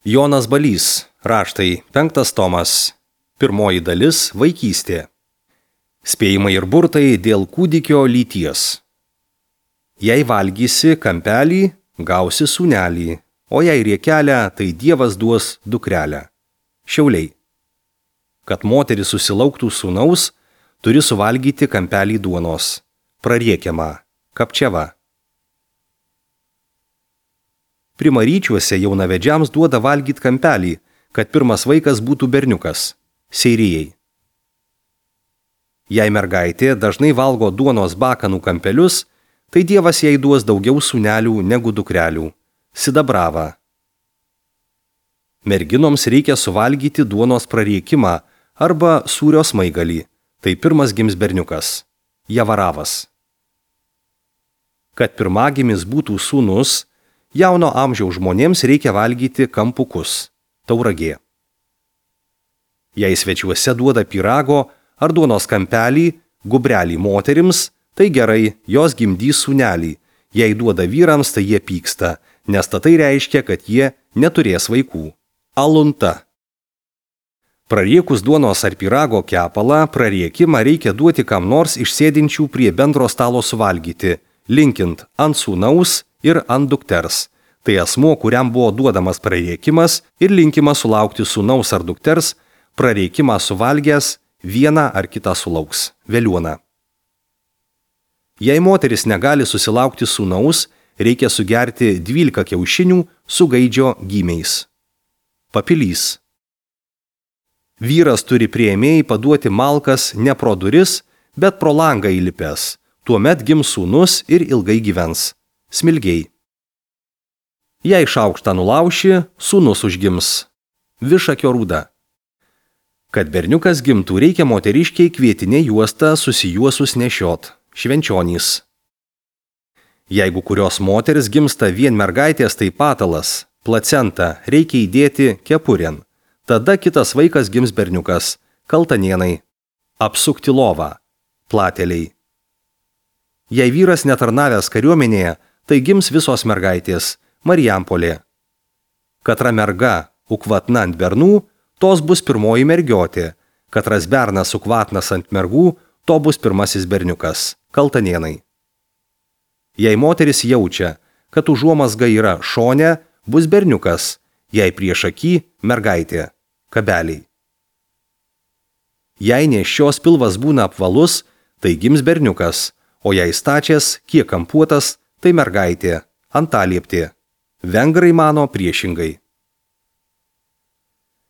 Jonas Balys, raštai, 5 tomas, 1 dalis, vaikystė. Spėjimai ir burtai dėl kūdikio lyties. Jei valgysi kampelį, gausi sūnelį, o jei riekelę, tai Dievas duos dukrelę. Šiauliai. Kad moteris susilauktų sūnaus, turi suvalgyti kampelį duonos. Prariekiama, kapčiava. Primaryčiuose jaunavedžiams duoda valgyti kampelį, kad pirmas vaikas būtų berniukas. Seirijai. Jei mergaitė dažnai valgo duonos bakanų kampelius, tai Dievas jai duos daugiau sūnelių negu dukrelių. Sidabrava. Merginoms reikia suvalgyti duonos prariekimą arba sūrio smaigalį, tai pirmas gims berniukas. Javaravas. Kad pirmagimis būtų sūnus, jauno amžiaus žmonėms reikia valgyti kampukus. Tauragė. Jei svečiuose duoda pyrago ar duonos kampelį, gubrelį moterims, tai gerai, jos gimdys sūnelį. Jei duoda vyrams, tai jie pyksta, nes tai reiškia, kad jie neturės vaikų. Alunta. Prariekus duonos ar pyrago kepalą, prariekimą reikia duoti kam nors iš sėdinčių prie bendro stalo suvalgyti, linkint ant sūnaus ir ant dukters. Tai asmuo, kuriam buvo duodamas prariekimas ir linkimas sulaukti sūnaus ar dukters, prariekimą suvalgęs vieną ar kitą sulauks. Veliuona. Jei moteris negali susilaukti sūnaus, reikia sugerti 12 kiaušinių su gaidžio gymiais. Papilys. Vyras turi priėmėjai paduoti malkas ne pro duris, bet pro langą įlipęs. Tuomet gims sūnus ir ilgai gyvens. Smilgiai. Jei šaukštą nulauši, sūnus užgims. Višakio rūda. Kad berniukas gimtų, reikia moteriškiai kvietinė juostą susijuosus nešiot. Švenčionys. Jeigu kurios moteris gimsta vien mergaitės, tai patalas, placenta, reikia įdėti kepurėn. Tada kitas vaikas gims berniukas. Kaltanėnai. Apsukti lovą. Plateliai. Jei vyras netarnavęs kariuomenėje, tai gims visos mergaitės. Marijampolė. Katra merga ukvatna ant bernų, tos bus pirmoji mergiotė. Katras bernas ukvatnas ant mergų, to bus pirmasis berniukas. Kaltanėnai. Jei moteris jaučia, kad užuomazga yra šone, bus berniukas, jei prieš akį mergaitė. Kabeliai. Jei nėščios pilvas būna apvalus, tai gims berniukas, o jei stačias, kiek kampuotas, tai mergaitė. Antalieptė. Vengrai mano priešingai.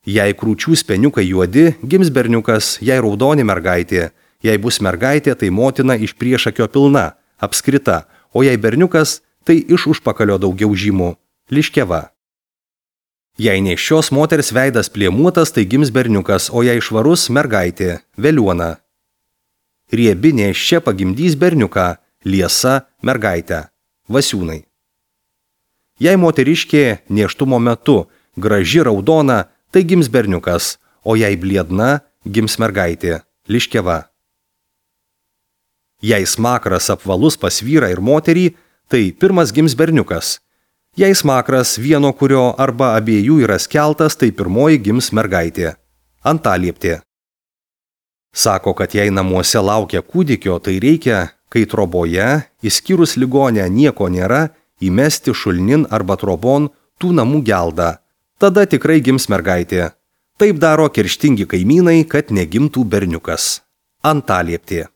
Jei krūčių speniukai juodi, gims berniukas, jei raudoni mergaitė. Jei bus mergaitė, tai motina iš priešakio pilna, apskrita, o jei berniukas, tai iš užpakalio daugiau žymų. Liškeva. Jei nėščios moters veidas plėmuotas, tai gims berniukas, o jei švarus mergaitė. Veliuona. Riebi nėščia pagimdys berniuką, liesa mergaitę. Vasiūnai. Jei moteriškė nėštumo metu graži raudona, tai gims berniukas, o jei bliedna, gims mergaitė. Liškeva. Jei smakras apvalus pas vyrą ir moterį, tai pirmas gims berniukas. Jei smakras vieno kurio arba abiejų yra skeltas, tai pirmoji gims mergaitė. Antalieptė. Sako, kad jei namuose laukia kūdikio, tai reikia, kai troboje, išskyrus ligonę nieko nėra, įmesti šulnin arba trobon tų namų geldą. Tada tikrai gims mergaitė. Taip daro kerštingi kaimynai, kad negimtų berniukas. Antalieptė.